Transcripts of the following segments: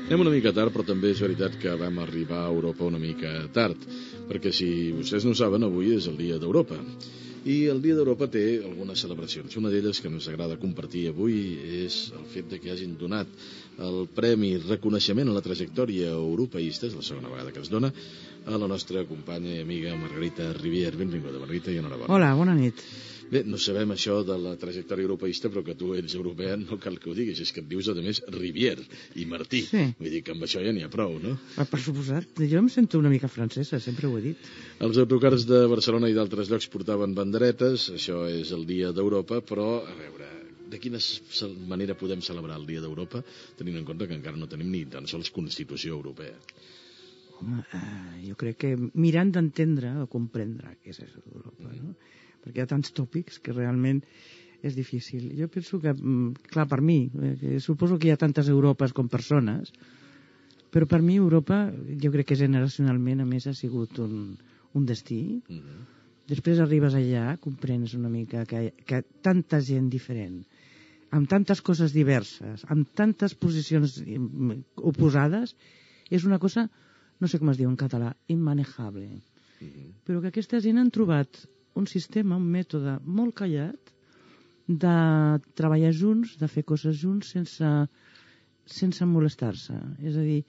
Anem una mica tard, però també és veritat que vam arribar a Europa una mica tard, perquè si vostès no ho saben, avui és el Dia d'Europa. I el Dia d'Europa té algunes celebracions. Una d'elles que ens agrada compartir avui és el fet de que hagin donat el Premi Reconeixement a la Trajectòria Europeista, és la segona vegada que es dona, a la nostra companya i amiga Margarita Rivière. Benvinguda, Margarita, i enhorabona. Hola, bona nit. Bé, no sabem això de la trajectòria europeista, però que tu ets europea no cal que ho diguis, és que et dius, a més, Rivière i Martí. Sí. Vull dir que amb això ja n'hi ha prou, no? Per suposat, jo em sento una mica francesa, sempre ho he dit. Els autocars de Barcelona i d'altres llocs portaven banderetes, això és el Dia d'Europa, però, a veure, de quina manera podem celebrar el Dia d'Europa, tenint en compte que encara no tenim ni tan sols Constitució Europea? Home, jo crec que mirant d'entendre o comprendre què és això d'Europa, no? Perquè hi ha tants tòpics que realment és difícil. Jo penso que, clar, per mi, suposo que hi ha tantes Europes com persones, però per mi Europa, jo crec que generacionalment, a més, ha sigut un destí. Després arribes allà, comprens una mica que tanta gent diferent, amb tantes coses diverses, amb tantes posicions oposades, és una cosa, no sé com es diu en català, immanejable. Però que aquesta gent han trobat un sistema, un mètode molt callat de treballar junts, de fer coses junts sense molestar-se. És a dir,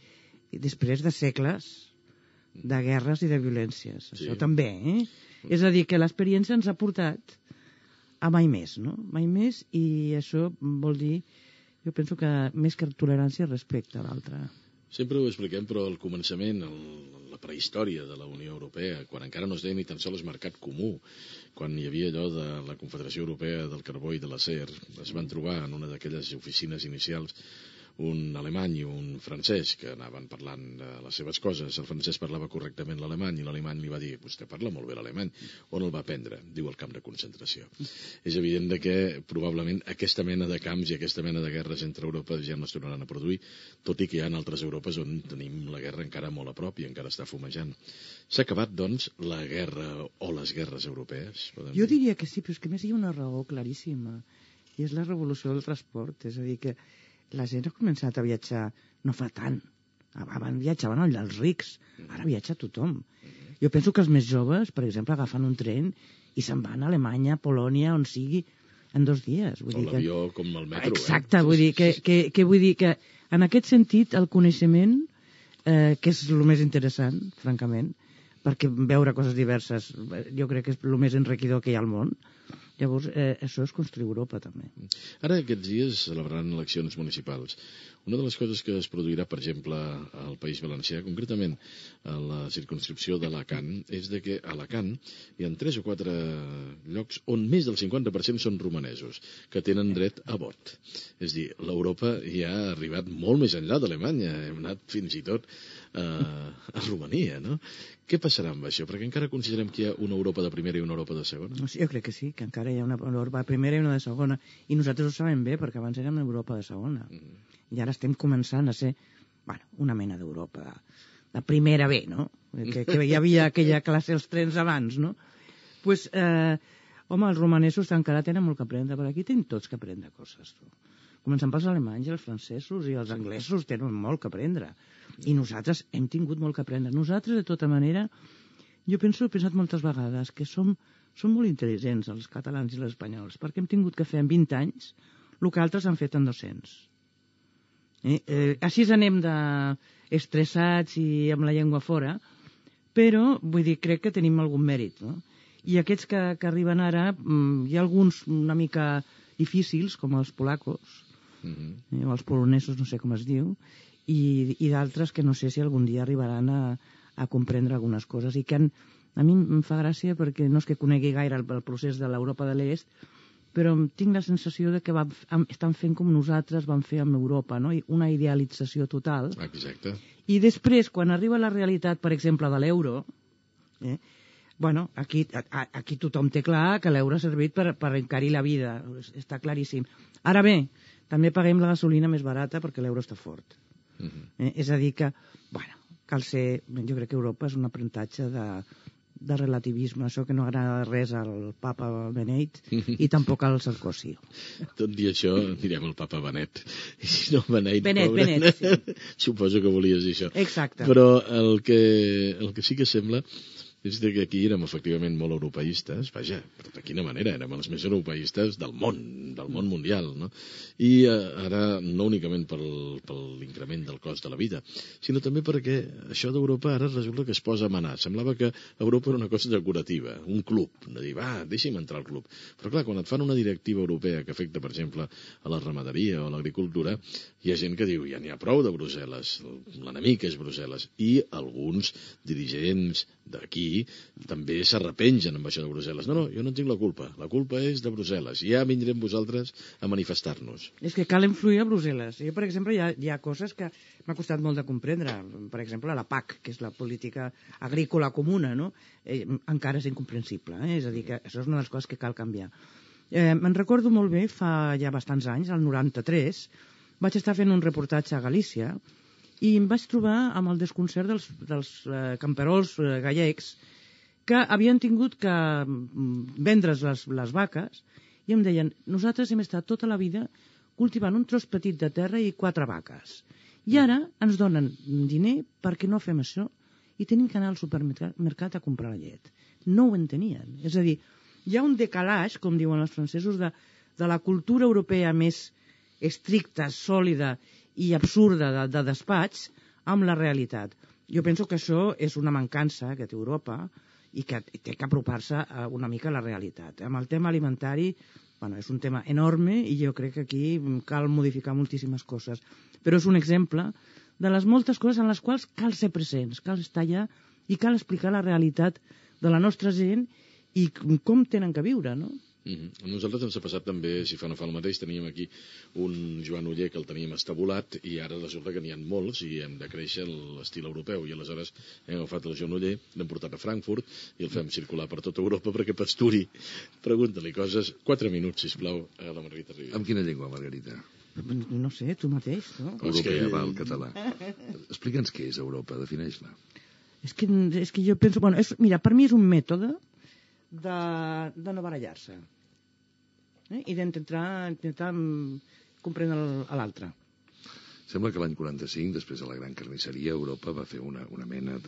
després de segles de guerres i de violències. Sí. Això també, És a dir, que l'experiència ens ha portat a mai més, no? Mai més, i això vol dir, jo penso que més que tolerància, respecte a l'altre. Sempre ho expliquem, però al començament, la prehistòria de la Unió Europea, quan encara no es deia ni tan sols mercat comú, quan hi havia allò de la Confederació Europea del Carbó i de l'Acer, es van trobar en una d'aquelles oficines inicials un alemany i un francès que anaven parlant de les seves coses. El francès parlava correctament l'alemany i l'alemany li va dir: vostè parla molt bé l'alemany. On el va aprendre? Diu, al camp de concentració. És evident que probablement aquesta mena de camps i aquesta mena de guerres entre Europa ja no es tornaran a produir, tot i que hi ha altres Europes on tenim la guerra encara molt a prop i encara està fumejant. S'ha acabat, doncs, la guerra o les guerres europees? Jo diria que sí, però és que més hi ha una raó claríssima, i és la revolució del transport. És a dir, que la gent ha començat a viatjar no fa tant. Abans viatjaven els rics, ara viatja tothom. Jo penso que els més joves, per exemple, agafen un tren i se'n van a Alemanya, Polònia, on sigui, en 2 dies. O l'avió com el metro. Exacte, vull dir que en aquest sentit el coneixement, que és el més interessant, francament, perquè veure coses diverses jo crec que és el més enriquidor que hi ha al món. Llavors, això és construir Europa, també. Ara, aquests dies, celebraran eleccions municipals. Una de les coses que es produirà, per exemple, al País Valencià, concretament a la circumscripció d'Alacant, és de que a Alacant hi ha 3 o 4 llocs on més del 50% són romanesos, que tenen dret a vot. És a dir, l'Europa ja ha arribat molt més enllà d'Alemanya. Hem anat fins i tot a Romania, no? Què passarà amb això? Perquè encara considerem que hi ha una Europa de primera i una Europa de segona? Jo crec que sí, que encara hi ha una Europa de primera i una de segona. I nosaltres ho sabem bé, perquè abans érem Europa de segona. I ara estem començant a ser, una mena d'Europa de primera B, no? Que hi havia aquella classe als trens abans, no? Doncs, home, els romanesos encara tenen molt que aprendre, però aquí tenim tots que aprendre coses. Començant pels alemanys i els francesos i els anglesos tenen molt que aprendre. I nosaltres hem tingut molt que aprendre. Nosaltres, de tota manera, jo he pensat moltes vegades que som molt intel·ligents, els catalans i els espanyols, perquè hem tingut que fer en 20 anys el que altres han fet en 200. Així anem estressats i amb la llengua fora, però, vull dir, crec que tenim algun mèrit, no? I aquests que arriben ara, hi ha alguns una mica difícils, com els polacos, o els polonesos, no sé com es diu, i d'altres que no sé si algun dia arribaran a comprendre algunes coses, i que a mi em fa gràcia perquè no és que conegui gaire el procés de l'Europa de l'Est, però tinc la sensació de que estan fent com nosaltres vam fer amb Europa, no? Una idealització total. Exacte. I després, quan arriba la realitat, per exemple, de l'euro, aquí tothom té clar que l'euro ha servit per encarir la vida, està claríssim. Ara bé, també paguem la gasolina més barata perquè l'euro està fort. És a dir que, cal ser, jo crec que Europa és un aprenentatge de relativisme, això que no agrada res al papa Benet i tampoc al Sarkozy. Tot i això, direm el papa Benet. I si no, Benet, Benet, sí. Suposo que volies dir això. Exacte. Però el que sí que sembla és que aquí érem efectivament molt europeistes, vaja, però de quina manera, érem els més europeistes del món mundial, no? I ara no únicament per l'increment del cost de la vida, sinó també perquè això d'Europa ara resulta que es posa a manar. Semblava que Europa era una cosa decorativa, un club, de dir, va, deixi'm entrar al club. Però clar, quan et fan una directiva europea que afecta, per exemple, a la ramaderia o a l'agricultura, hi ha gent que diu, ja n'hi ha prou de Brussel·les, l'enemic és Brussel·les, i alguns dirigents d'aquí també s'arrepengen amb això de Brussel·les. No, jo no en tinc la culpa és de Brussel·les, ja vindrem vosaltres a manifestar-nos. És que cal influir a Brussel·les. Jo, per exemple, hi ha coses que m'ha costat molt de comprendre. Per exemple, la PAC, que és la política agrícola comuna, no? Encara és incomprensible. És a dir, que això és una de les coses que cal canviar. Me'n recordo molt bé, fa ja bastants anys, el 93, vaig estar fent un reportatge a Galícia i em vaig trobar amb el desconcert dels camperols gallecs que havien tingut que vendre's les vaques i em deien, nosaltres hem estat tota la vida cultivant un tros petit de terra i 4 vaques. I ara ens donen diner perquè no fem això i tenim que anar al supermercat a comprar la llet. No ho entenien. És a dir, hi ha un decalaix, com diuen els francesos, de la cultura europea més estricta, sòlida i absurda de despatx amb la realitat. Jo penso que això és una mancança que té Europa i que té que apropar-se una mica a la realitat. Amb el tema alimentari, bueno, és un tema enorme i jo crec que aquí cal modificar moltíssimes coses. Però és un exemple de les moltes coses en les quals cal ser presents, cal estar allà i cal explicar la realitat de la nostra gent i com tenen que viure, no? A nosaltres ens ha passat també, si fa no fa el mateix, teníem aquí un Joan Oller que el teníem estabulat i ara resulta que n'hi ha molts i hem de créixer l'estil europeu i aleshores hem agafat el Joan Oller, l'hem portat a Frankfurt i el fem circular per tota Europa perquè pasturi. Pregunta-li coses, 4 minuts, sisplau, a la Margarita Rivera. Amb quina llengua, Margarita? No sé, tu mateix, no? Europea, va, el català. Explica'ns què és Europa, defineix-la. És que jo penso... Bueno, mira, per mi és un mètode de no barallar-se i d'intentar comprendre l'altre. Sembla que l'any 45, després de la gran carnisseria, Europa va fer una mena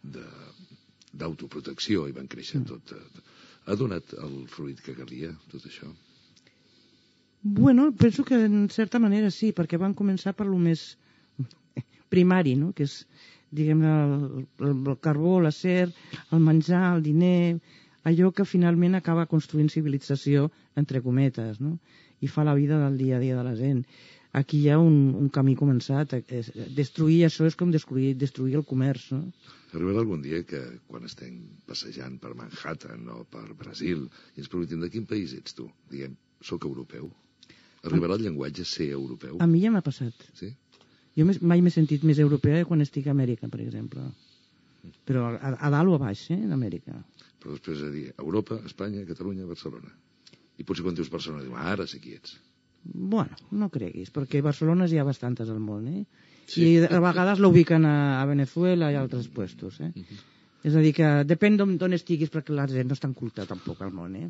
d'autoprotecció i van créixer tot. Ha donat el fruit que calia, tot això? Bueno, penso que en certa manera sí, perquè van començar per lo més primari, no? Que és, diguem-ne, el carbó, l'acer, el menjar, el diner, allò que finalment acaba construint civilització, entre cometes, no? I fa la vida del dia a dia de la gent. Aquí hi ha un camí començat. Destruir això és com destruir el comerç, no? Arribarà algun dia que, quan estem passejant per Manhattan o per Brasil, i ens preguntem de quin país ets tu? Diguem, soc europeu. Arribarà el llenguatge ser europeu? A mi ja m'ha passat. Sí? Jo mai m'he sentit més europea quan estic a Amèrica, per exemple. Però a dalt o a baix, d'Amèrica. Però després de dir Europa, Espanya, Catalunya, Barcelona. I potser quan dius Barcelona, diu, ara sé qui ets. Bueno, no creguis, perquè Barcelones hi ha bastantes al món, Sí. I a vegades l'ubiquen a Venezuela i a altres puestos, És a dir que depèn d'on estiguis, perquè la gent no és tan culta tampoc al món,